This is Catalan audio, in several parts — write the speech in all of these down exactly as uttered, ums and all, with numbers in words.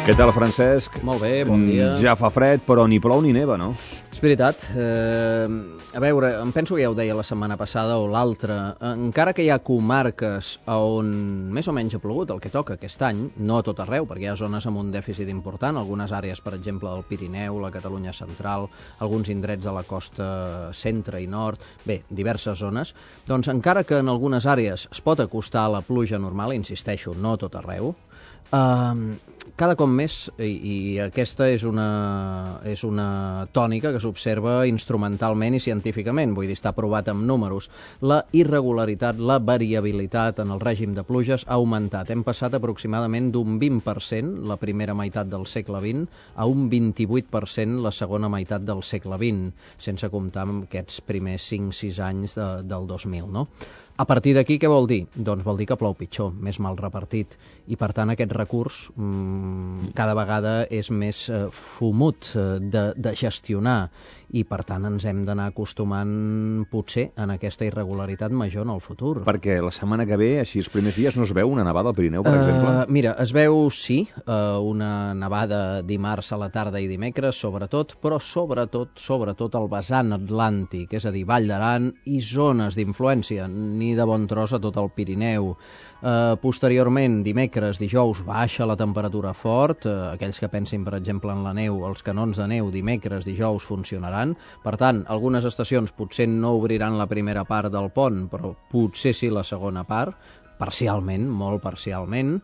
Què tal, Francesc? Molt bé, bon dia. Ja fa fred, però ni plou ni neva, no? És veritat. Eh, a veure, em penso que ja ho deia la setmana passada o l'altra. Encara que hi ha comarques on més o menys ha plogut el que toca aquest any, no a tot arreu, perquè hi ha zones amb un dèficit important, algunes àrees, per exemple, del Pirineu, la Catalunya central, alguns indrets de la costa centre i nord, bé, diverses zones, doncs encara que en algunes àrees es pot acostar a la pluja normal, insisteixo, no a tot arreu, Uh, cada cop més, i, i aquesta és una, és una tònica que s'observa instrumentalment i científicament, vull dir, està provat amb números, la irregularitat, la variabilitat en el règim de pluges ha augmentat. Hem passat aproximadament d'un vint per cent la primera meitat del segle vint a un vint-i-vuit per cent la segona meitat del segle vint, sense comptar amb aquests primers cinc sis anys de, del dos mil, no? A partir d'aquí, què vol dir? Doncs vol dir que plou pitjor, més mal repartit, i per tant aquest recurs mmm, cada vegada és més eh, fumut eh, de, de gestionar, i per tant ens hem d'anar acostumant potser en aquesta irregularitat major en el futur. Perquè la setmana que ve, així els primers dies, no es veu una nevada al Pirineu, per uh, exemple? Mira, es veu, sí, uh, una nevada dimarts a la tarda i dimecres, sobretot, però sobretot, sobretot el vessant atlàntic, és a dir, Vall d'Aran i zones d'influència, ni de bon tros a tot el Pirineu. Uh, posteriorment, dimecres, dijous, baixa la temperatura fort. Uh, aquells que pensin, per exemple, en la neu, els canons de neu, dimecres, dijous, funcionaran. Per tant, algunes estacions potser no obriran la primera part del pont, però potser sí la segona part, parcialment, molt parcialment,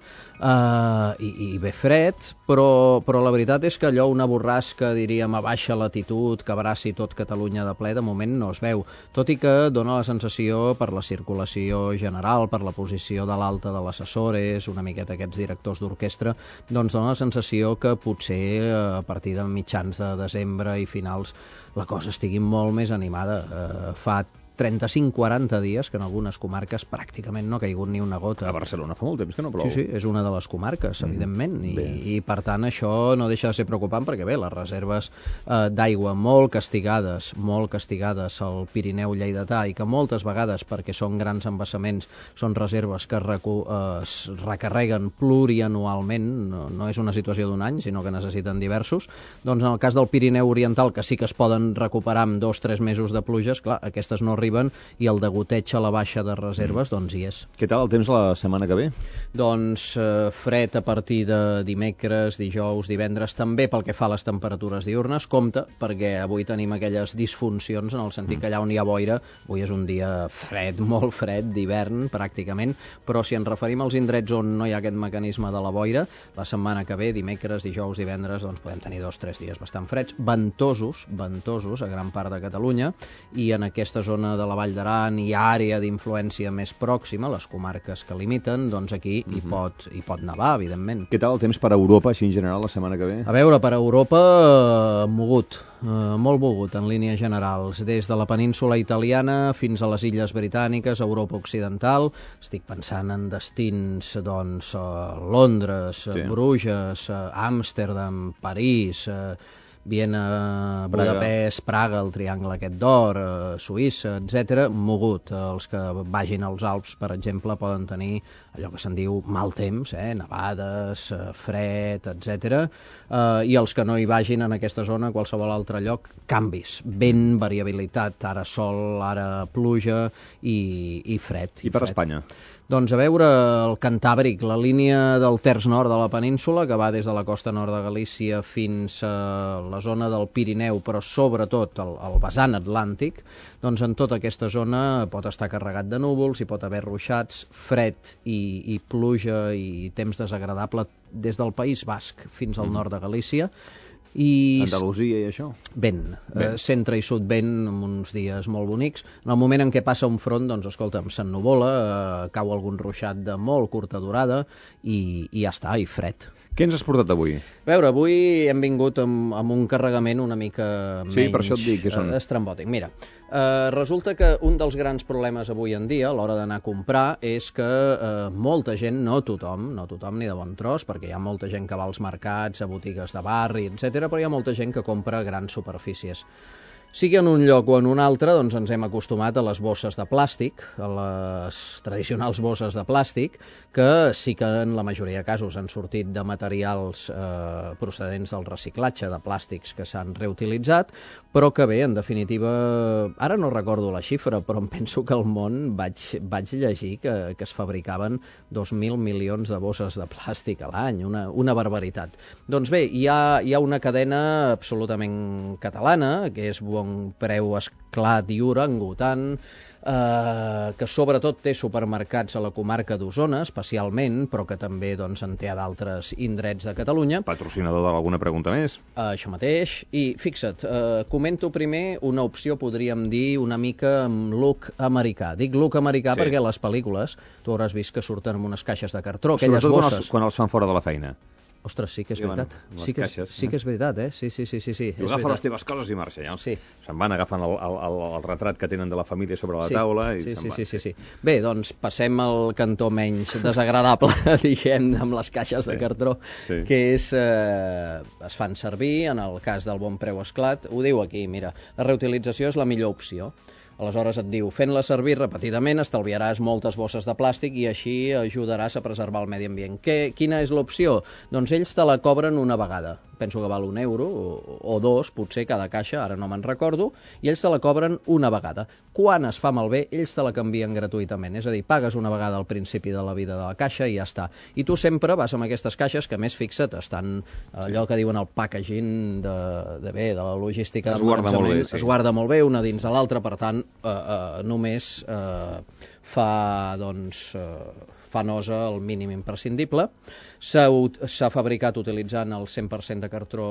uh, i, i bé fred, però, però la veritat és que allò, una borrasca, diríem, a baixa latitud, que abraci tot Catalunya de ple, de moment no es veu, tot i que dona la sensació, per la circulació general, per la posició de l'alta de les Açores, una miqueta aquests directors d'orquestra, doncs dona la sensació que potser a partir de mitjans de desembre i finals la cosa estigui molt més animada. Uh, fa trenta-cinc quaranta dies que en algunes comarques pràcticament no ha caigut ni una gota. A Barcelona fa molt temps que no plou. Sí, sí, és una de les comarques, mm. evidentment, i, i per tant això no deixa de ser preocupant perquè bé, les reserves eh, d'aigua molt castigades, molt castigades al Pirineu lleidatà, i que moltes vegades, perquè són grans embassaments, són reserves que recu eh, es recarreguen plurianualment, no, no és una situació d'un any, sinó que necessiten diversos, doncs en el cas del Pirineu oriental, que sí que es poden recuperar amb dos o tres mesos de pluges, clar, aquestes no arriben, i el degoteig a la baixa de reserves, mm. doncs hi és. Què tal el temps la setmana que ve? Doncs eh, fred a partir de dimecres, dijous, divendres, també pel que fa a les temperatures diurnes. Compte, perquè avui tenim aquelles disfuncions en el sentit mm. que allà on hi ha boira, avui és un dia fred, molt fred, d'hivern, pràcticament, però si ens referim als indrets on no hi ha aquest mecanisme de la boira, la setmana que ve, dimecres, dijous, divendres, doncs podem tenir dos o tres dies bastant freds, ventosos, ventosos a gran part de Catalunya, i en aquesta zona de la Vall d'Aran i àrea d'influència més pròxima, les comarques que limiten, doncs aquí uh-huh. hi, pot, hi pot nevar, evidentment. Què tal el temps per a Europa, així en general, la setmana que ve? A veure, per a Europa, eh, mogut, eh, molt mogut en línies generals, des de la península italiana fins a les illes britàniques, Europa occidental. Estic pensant en destins, doncs, eh, Londres, sí. Bruges, eh, Amsterdam, París, eh, Viena, Budapest, Praga, el triangle aquest d'or, eh, Suïssa, etcètera, mogut. Els que vagin als Alps, per exemple, poden tenir allò que se'n diu mal temps, eh, nevades, eh, fred, etcètera. Eh, I els que no hi vagin en aquesta zona, a qualsevol altre lloc, canvis, vent, variabilitat, ara sol, ara pluja i, i fred. I, I per fred. Espanya? Doncs a veure, el Cantàbric, la línia del terç nord de la península, que va des de la costa nord de Galícia fins a la zona del Pirineu, però sobretot el, el vessant atlàntic, doncs en tota aquesta zona pot estar carregat de núvols, hi pot haver ruixats, fred i, i pluja i temps desagradable des del País Basc fins al mm. nord de Galícia. I Andalusia i això? Vent, eh, centre i sud vent, amb uns dies molt bonics. En el moment en què passa un front, doncs escolta'm, s'ennuvola, eh, cau algun ruixat de molt curta durada i, i ja està, i fred. Què ens has portat avui? A veure, avui hem vingut amb, amb un carregament una mica menys sí, per això et dic, que són... eh, estrambòtic. Mira, eh, resulta que un dels grans problemes avui en dia a l'hora d'anar a comprar és que eh, molta gent, no tothom, no tothom ni de bon tros, perquè hi ha molta gent que va als mercats, a botigues de barri, etcètera, però hi ha molta gent que compra grans superfícies. Sigui en un lloc o en un altre, doncs ens hem acostumat a les bosses de plàstic, a les tradicionals bosses de plàstic, que sí que en la majoria de casos han sortit de materials eh, procedents del reciclatge de plàstics que s'han reutilitzat, però que bé, en definitiva, ara no recordo la xifra, però em penso que al món vaig, vaig llegir que, que es fabricaven dos mil milions de bosses de plàstic a l'any, una, una barbaritat. Doncs bé, hi ha, hi ha una cadena absolutament catalana, que és Bon Preu Esclat i Orangutan, eh, que sobretot té supermercats a la comarca d'Osona, especialment, però que també doncs, en té a d'altres indrets de Catalunya. Patrocinador d'alguna pregunta més? Eh, això mateix. I fixa't, eh, comento primer una opció, podríem dir, una mica amb look americà. Dic look americà sí. perquè les pel·lícules, tu hauràs vist que surten amb unes caixes de cartró, aquelles sobretot bosses. Quan els, quan els fan fora de la feina. Ostres, sí que és Diuen, veritat. les Sí que, caixes, sí que és veritat, eh? Sí, sí, sí, sí. sí. I agafa les teves coses i marxa, ja. Sí. Se'n van, agafen el, el, el, el retrat que tenen de la família sobre la sí. taula i sí, se'n sí, van. sí, sí, sí. Bé, doncs passem al cantó menys desagradable, diguem, amb les caixes de Sí. cartró, Sí. que és, eh, es fan servir, en el cas del Bon Preu Esclat, ho diu aquí, mira, la reutilització és la millor opció. Aleshores et diu, fent-la servir repetidament estalviaràs moltes bosses de plàstic i així ajudaràs a preservar el medi ambient. Què, quina és l'opció? Doncs ells te la cobren una vegada. Penso que val un euro o, o dos, potser cada caixa, ara no me'n recordo, i ells te la cobren una vegada. Quan es fa malbé, ells te la canvien gratuïtament. És a dir, pagues una vegada al principi de la vida de la caixa i ja està. I tu sempre vas amb aquestes caixes que, més fixa't, estan allò que diuen el packaging de, de bé, de la logística. Es guarda molt bé, sí. Es guarda molt bé una dins de l'altra, per tant, eh, eh, només eh, fa, doncs, eh, fa nosa el mínim imprescindible. S'ha fabricat utilitzant el cent per cent de cartró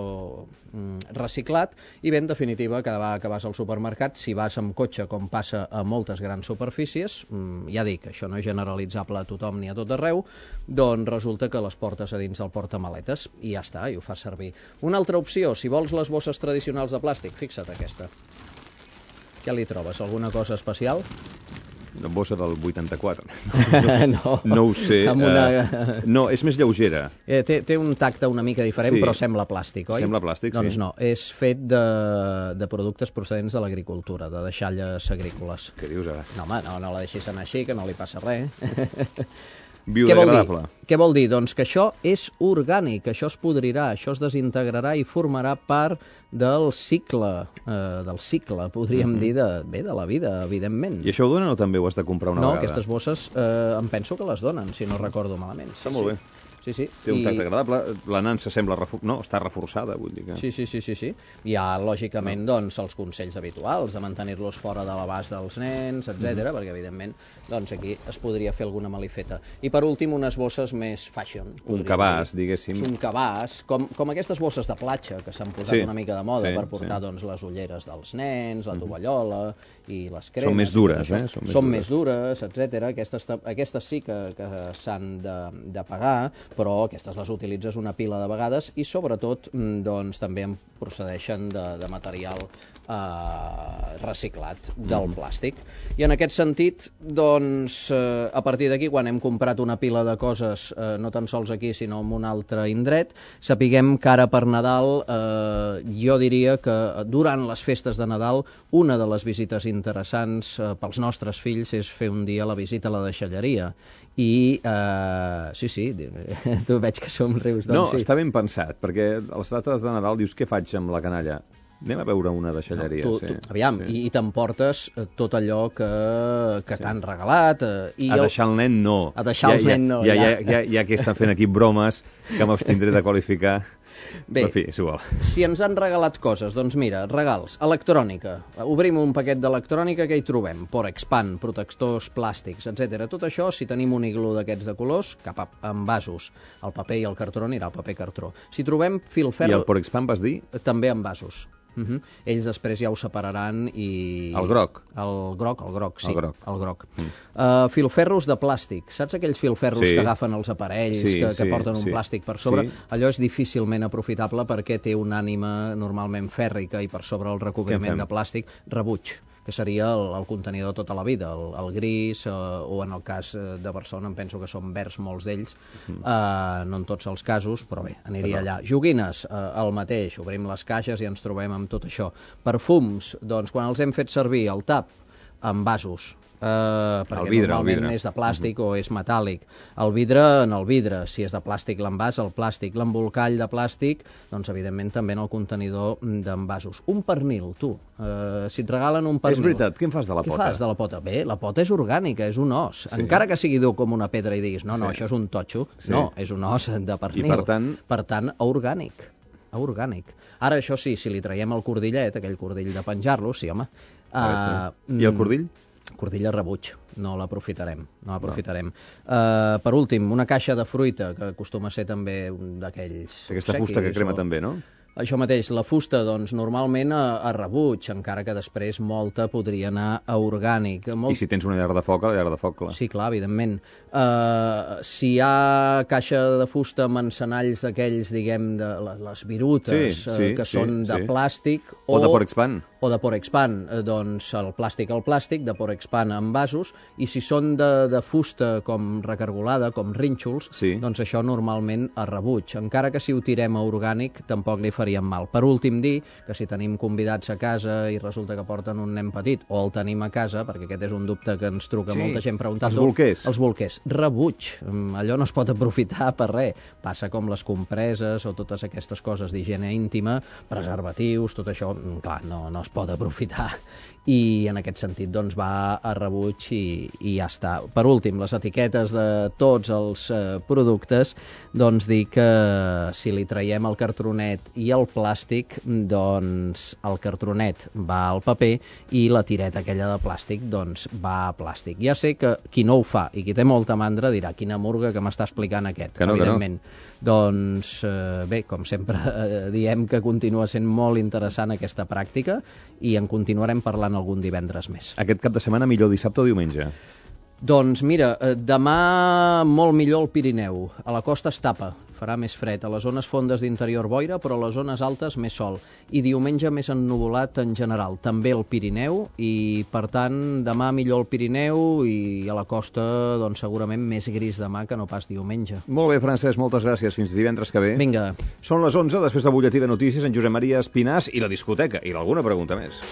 mm, reciclat i bé, en definitiva, cada vegada que vas al supermercat, si vas amb cotxe, com passa a moltes grans superfícies, mm, ja dic, això no és generalitzable a tothom ni a tot arreu, doncs resulta que les portes a dins del portamaletes i ja està, i ho fas servir. Una altra opció, si vols les bosses tradicionals de plàstic, fixa't aquesta. Què li trobes? Alguna cosa especial? Una bossa del vuitanta-quatre. No, no ho sé. Amb una... Uh, no, és més lleugera. Eh, té, té un tacte una mica diferent, Sí. però sembla plàstic, oi? Sembla plàstic, doncs sí. no, és fet de, de productes procedents de l'agricultura, de deixalles agrícoles. Què dius ara? No, home, no, no la deixis anar així, que no li passa res. Biodegradable. Què vol dir? Què vol dir? Doncs que això és orgànic, això es podrirà, això es desintegrarà i formarà part del cicle, eh, del cicle, podríem Mm-hmm. dir, de, bé, de la vida, evidentment. I això ho donen o també ho has de comprar una no, vegada? aquestes bosses eh, em penso que les donen, si no recordo malament. Està molt bé. Sí, sí. Té un I- tacte agradable, la nansa sembla... Refor... No, està reforçada, vull dir que... Sí, sí, sí, sí, sí. Hi ha, lògicament, doncs, els consells habituals de mantenir-los fora de l'abast dels nens, etcètera, perquè, evidentment, doncs, aquí es podria fer alguna malifeta. I, per últim, unes bosses més fashion. Un podríem cabàs, dir. diguéssim. Un cabàs, com, com aquestes bosses de platja que s'han posat Sí, una mica de moda sí, per portar sí. doncs, les ulleres dels nens, la tovallola i les cremes. Són més i tot dures, això. eh? Són més Són dures. més dures, etcètera. Aquestes, ta- aquestes sí que, que s'han de, de pagar, però aquestes les utilitzes una pila de vegades i sobretot mm, doncs, també en procedeixen de, de material eh, reciclat del Mm-hmm. plàstic. I en aquest sentit, doncs, eh, a partir d'aquí, quan hem comprat una pila de coses, eh, no tan sols aquí, sinó en un altre indret, sapiguem que ara per Nadal, eh, jo diria que durant les festes de Nadal, una de les visites interessants eh, pels nostres fills és fer un dia la visita a la deixalleria. I, eh, sí, sí, tu veig que somrius, doncs No, sí. està ben pensat, perquè a les dates de Nadal dius, què faig amb la canalla? Anem a veure una deixalleria. tu, sí. tu, aviam, sí. i, i t'emportes eh, tot allò que, que Sí. t'han regalat. Eh, i A jo- deixar el nen no. A deixar el ja, nen no, Ja, ja, ja. ja, ja, ja que estan fent aquí bromes que m'abstindré de qualificar. Bé, Però, en fi, és igual. si ens han regalat coses, doncs mira, regals, electrònica. Obrim un paquet d'electrònica, que hi trobem? Porexpan, protectors plàstics, etcètera. Tot això, si tenim un iglú d'aquests de colors, cap a envasos. El paper i el cartró anirà al paper cartró. Si trobem I filferro, el Porexpan vas dir? també envasos. Uh -huh. Ells després ja ho separaran i... El groc. El groc, el groc, sí. El groc. El groc. Mm. Uh, filferros de plàstic. Saps aquells filferros Sí. que agafen els aparells, Sí, que, que sí, porten un sí. plàstic per sobre? Sí. Allò és difícilment aprofitable perquè té una ànima normalment fèrrica i per sobre el recobriment fem? de plàstic, rebuig. que seria el, el contenidor tota la vida, el, el gris, eh, o en el cas de Barcelona em penso que són verds molts d'ells, mm. eh, no en tots els casos, però bé, aniria allà. Joguines, eh, el mateix, obrim les caixes i ens trobem amb tot això. Perfums, doncs quan els hem fet servir el tap, en vasos, Uh, perquè el vidre, normalment el vidre. és de plàstic uh -huh. o és metàl·lic. El vidre en el vidre, si és de plàstic l'envàs, el plàstic, l'embolcall de plàstic, doncs evidentment també en el contenidor d'envasos. Un pernil, tu, uh, si et regalen un pernil... És veritat, què en fas de la què pota? Què fas de la pota? Bé, la pota és orgànica, és un os. Sí. Encara que sigui dur com una pedra i diguis, no, no, sí. això és un totxo, sí. no, és un os de pernil. I per tant... Per tant, orgànic. orgànic. Ara, això sí, si li traiem el cordillet, aquell cordill de penjar-lo, sí, home. Uh, I el cordill? Cordill a rebuig, no l'aprofitarem, no l'aprofitarem. No. Uh, per últim, una caixa de fruita, que acostuma a ser també un d'aquells... Aquesta fusta que crema o... també, no? Això mateix, la fusta, doncs, normalment a, a rebuig, encara que després molta podria anar a orgànic. Molt... I si tens una llar de foc, a la llar de foc, clar. Sí, clar, evidentment. Uh, si hi ha caixa de fusta amb encenalls d'aquells, diguem, de les virutes, sí, sí, uh, que sí, són de sí. plàstic... O, o de Porexpan. O de Porexpan, eh, doncs el plàstic al plàstic, de Porexpan en vasos, i si són de, de fusta com recargolada, com rínxols, sí. doncs això normalment a rebuig. Encara que si ho tirem a orgànic, tampoc li faríem mal. Per últim, dir que si tenim convidats a casa i resulta que porten un nen petit, o el tenim a casa, perquè aquest és un dubte que ens truca sí. molta gent preguntant... Els bolquers. Els bolquers. Rebuig. Allò no es pot aprofitar per res. Passa com les compreses o totes aquestes coses d'higiene íntima, preservatius, tot això, clar, no, no es pot aprofitar. I en aquest sentit doncs va a rebuig i, i ja està. Per últim, les etiquetes de tots els eh, productes, doncs dir que si li traiem el cartronet i el plàstic, doncs el cartronet va al paper i la tireta aquella de plàstic doncs va a plàstic. Ja sé que qui no ho fa i qui té molta mandra dirà quina murga que m'està explicant aquest, que no, evidentment. Que no. Doncs eh, bé, com sempre eh, diem que continua sent molt interessant aquesta pràctica i en continuarem parlant algun divendres més. Aquest cap de setmana millor dissabte o diumenge? Doncs mira, demà molt millor al Pirineu. A la costa es tapa, farà més fred. A les zones fondes d'interior boira, però a les zones altes més sol. I diumenge més ennuvolat en general, també al Pirineu, i per tant demà millor al Pirineu i a la costa doncs segurament més gris demà que no pas diumenge. Molt bé, Francesc, moltes gràcies. Fins divendres que ve. Vinga. Són les onze, després del butlletí de notícies, en Josep Maria Espinàs i la discoteca, i alguna pregunta més.